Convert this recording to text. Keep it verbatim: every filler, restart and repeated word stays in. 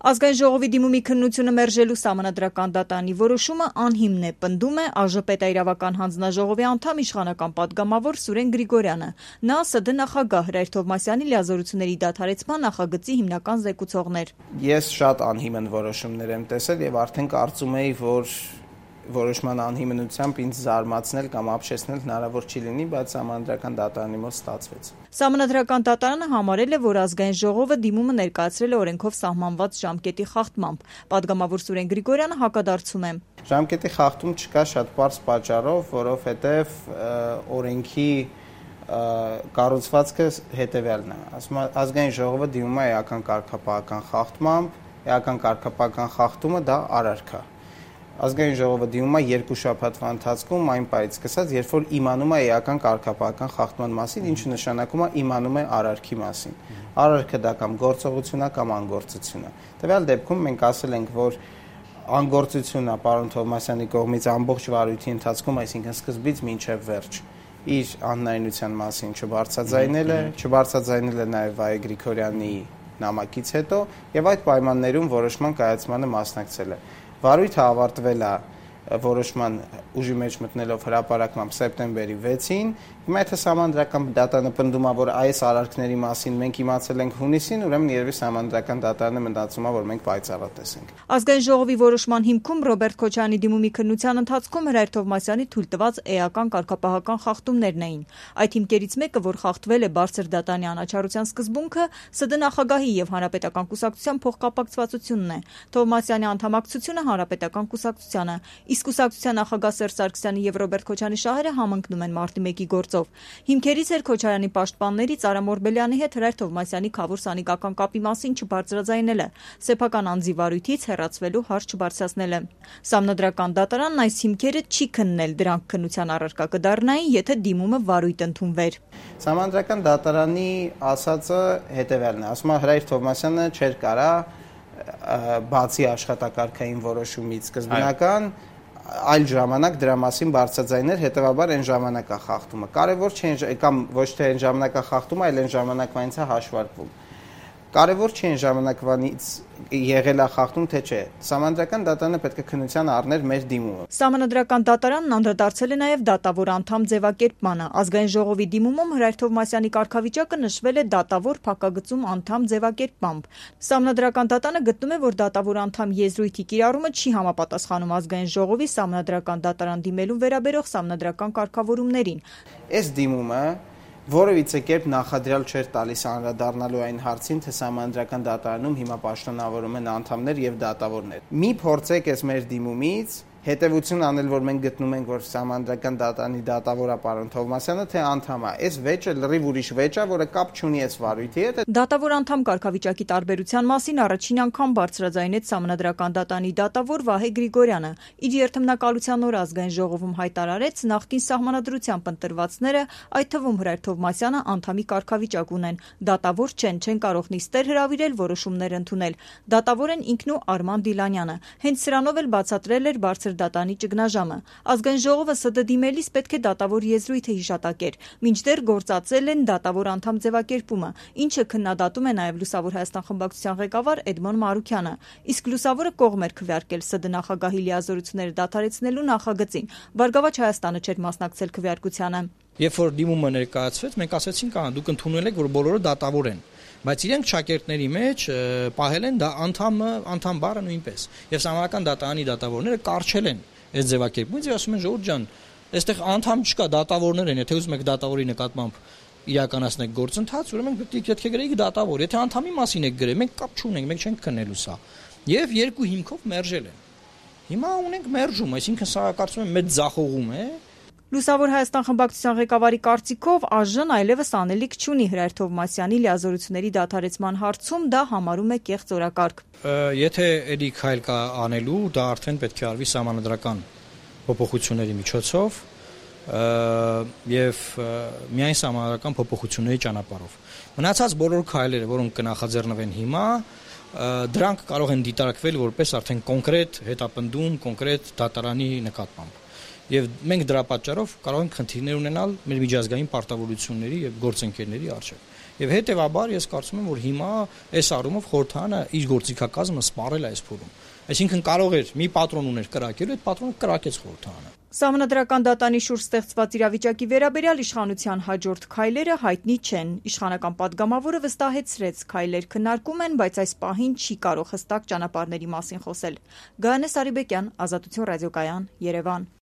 Ազգային ժողովի դիմումի քննությունը մերժելու Սահմանադրական դատարանի որոշումը անհիմն է, պնդում է ԱԺՊՏ-իրավական հանձնաժողովի անդամ իշխանական պատգամավոր Սուրեն Գրիգորյանը։ Նա ՍԴ նախագահ Հրայր Թովմասյանի լիազորությունների դադարեցման նախագծի հիմնական զեկուցողն էր։ Ես շատ անհիմն որոշումներ եմ տեսել եւ արդեն կարծում էի, որ որոշման անհիմնությամբ ինձ զարմացնել կամ ապշեցնել հնարավոր չի լինի, բայց Սահմանադրական դատարանի մոտ ստացվեց։ Սահմանադրական դատարանը համարել է, որ Ազգային ժողովը դիմումը ներկայացրել է օրենքով սահմանված ժամկետի խախտմամբ։ Պատգամավոր Սուրեն Գրիգորյանը հակադարձում է։ Ժամկետի խախտում չկա շատ պարզ պատճառով, որովհետև օրենքի կառուցվածքը հետևյալն է։ Ասում է, Ազգային ժողովը դիմում է էական կարգապահական խախտմամբ, էական կարգապահական խախտումը դա արարք է։ Ազգային ժողովը դիմում է երկու շաբաթվա ընթացքում այն պահից սկսած, երբ որ իմանում է էական կարգապահական խախտման մասին, ինչը նշանակում է իմանում է արարքի մասին։ Արարքը դա կամ գործողություն է կամ անգործություն է։ Տվյալ դեպքում մենք ասել ենք, որ անգործությունն է պարոն Թովմասյանի կողմից ամբողջ վարույթի ընթացքում, այսինքն սկզբից մինչև վերջ, իր անհնարինության մասին չբարձրաձայնել է, չբարձրաձայնել է նաև Վահե Գրիգորյանի նամակից հետո եւ այդ պայմաններում որոշման կայացմանը մասնակցել է։ Վարույթը ավարտվել է որոշման ուժի մեջ մտնելով հրապարակմամբ սեպտեմբերի վեցին, հիմա եթե Սահմանադրական դատարանը պնդում է, որ այս արարքների մասին մենք իմացել ենք հունիսին, ուրեմն երևի Սահմանադրական դատարանը մտածում է, որ մենք պայծառատես ենք։ Ազգային ժողովի որոշման հիմքում Ռոբերտ Քոչարյանի դիմումի քննության ընթացքում Հրայր Թովմասյանի թույլտված էական կարգապահական խախտումներն էին։ Այդ հիմքերից մեկը, որ խախտվել է բարձր դատանի անաչառության սկզբունքը, ՍԴ նախագահի եւ Հանրապետական կուսակցության փոխկապակցվածությունն է։ Թովմասյանի անդամակցությունը Հանրապետական կուսակցությանը, իսկ կուսակցության նախագահ Սերժ Սարգսյանի եւ Ռոբերտ Քոչարյանի շահերը համընկնում են մարտի մեկի գործով։ Հիմքերից էր Քոչարյանի պաշտպաններից Արամ Օրբելյանի հետ Հրայր Թովմասյանի քավոր սանիկական կապի մասին չբարձրաձայնելը, սեփական անձի վարույթից հեռացվելու հարց չբարձրացնելը։ Սահմանադրական դատարանն այս հիմքերը չի քննել, դրանք քննության առարկա կդառնային, եթե դիմումը վարույթ ընդունվեր։ Սահմանադրական դատարանի ասածը հետևյալն է, ասում է Հրայր Թովմասյանը չէր կարա բացի աշխատակարգային որոշումից սկզբնական այլ ժամանակ դրա մասին բարձրաձայնել, հետևաբար այն ժամանակա խախտումը։ Կարևոր չէ կամ ոչ թե այն ժամանակա խախտումը, այլ այն ժամանակվանից է հաշվարկվում։ Կարևոր չէ այն ժամանակվանից եղել է խախտում, թե չէ։ Սահմանադրական դատարանը պետք է քննության առներ մեր դիմումը։ Սահմանադրական դատարանն անդրադարձել է նաև դատավոր անդամ ձևակերպմանը։ Ազգային ժողովի դիմումում Հրայր Թովմասյանի կարգավիճակը նշվել է դատավոր փակագծում անդամ ձևակերպմամբ։ Սահմանադրական դատարանը գտնում է, որ դատավոր անդամ եզրույթի կիրառումը չի համապատասխանում Ազգային ժողովի Սահմանադրական դատարան դիմելուն վերաբերող սահմանադրական կարգավորումներին։ Այս դիմումը որևիցե կերպ նախադրյալ չէր տալիս անդրադառնալու այն հարցին, թե Սահմանադրական դատարանում հիմա պաշտոնավորում են անդամներ եւ դատավորներ։ Մի փորձեք այս մեր դիմումից հետևություն անել, որ մենք գտնում ենք, որ Սահմանադրական դատարանի դատավորը պարոն Թովմասյանը թե անդամ է։ Այս վեճը լրիվ ուրիշ վեճ է, որը կապ չունի այս վարույթի հետ։ Դատավոր անդամ կարգավիճակի տարբերության մասին առաջին անգամ բարձրաձայնեց Սահմանադրական դատարանի դատավոր Վահե Գրիգորյանը։ Իր երթմնակալության օր Ազգային ժողովում հայտարարեց նախկին սահմանադրությամբ ընտրվածները, այդ թվում Հրայր Թովմասյանը անդամի կարգավիճակ ունեն։ Դատավոր չեն, չեն կարող նիստեր հրավիրել, որոշումներ ընդունել։ Դատավոր են ինքն ու Արման Դիլանյանը։ Հենց սրանով էլ բացատրել էր բարձր դատանի ճգնաժամը։ Ազգային ժողովը ՍԴ դիմելիս պետք է դատավոր եզրույթը հիշատակեր, մինչդեռ գործածել են դատավոր անդամ ձևակերպումը, ինչը քննադատում է նաև Լուսավոր Հայաստան խմբակցության ղեկավար Էդմոն Մարուքյանը։ Իսկ Լուսավորը կողմ էր քվեարկել ՍԴ նախագահի լիազորությունները դադարեցնելու նախագծին։ Բարգավաճ Հայաստանը չէր մասնակցել քվեարկությանը։ Երբ որ դիմումը ներկայացվեց, մենք ասացինք, ահա դուք ընդունել եք, որ բոլորը դատավոր են, բայց իրենք շակերտների մեջ պահել են դա անդամը, անդամ բառը նույնպես։ Եվ Սահմանադրական դատարանի դատավորները կարճել են այս ձևակերպումից եւ ասում են ժողովուրդ ջան, այստեղ անդամ չկա, դատավորներ են, եթե ուզում եք դատավորի նկատմամբ իրականացնեք գործընթաց, ուրեմն պետք է գրեիք դատավոր, եթե անդամի մասին եք գրել, մենք կապ չունենք, մենք չենք քննելու սա։ Եվ երկու հիմքով մերժել են։ Հիմա ունենք մերժում, այսինքն սա կարծում եմ մեծ ձախողում է։ Լուսավոր Հայաստան խմբակցության ղեկավարի կարծիքով ԱԺ-ն այլևս անելիք չունի Հրայր Թովմասյանի լիազորությունների դադարեցման հարցում, դա համարում է կեղծ օրակարգ։ Եթե էլի քայլ կա անելու, դա արդեն պետք է արվի սահմանադրական փոփոխությունների միջոցով եւ միայն սահմանադրական փոփոխությունների ճանապարհով։ Մնացած բոլոր քայլերը, որոնք կնախաձեռնվեն հիմա, դրանք կարող են դիտարկվել որպես արդեն կոնկրետ հետապնդում, կոնկրետ դատարանի նկատմամբ։ Եվ մենք դրա պատճառով կարող ենք խնդիրներ ունենալ մեր միջազգային պարտավորությունների եւ գործընկերների առջեւ։ Եվ հետևաբար ես կարծում եմ, որ հիմա այս առումով խորհրդարանը իր գործիքակազմը սպառել է այս փուլում։ Այսինքն կարող էր մի պատրոն ուներ կրակելու, այդ պատրոնը կրակեց խորհրդարանը։ Սահմանադրական դատանի շուրջ ստեղծված իրավիճակի վերաբերյալ իշխանության հաջորդ քայլերը հայտնի չեն։ Իշխանական падգամավորը վստահեցրեց՝ քայլեր քննարկում են, բայց այս պահին չի կարող հստակ ճանապարհների մասին խոսել։ Գայանե Սարիբեկյան, Ազատություն ռադիոկայան, Երևան։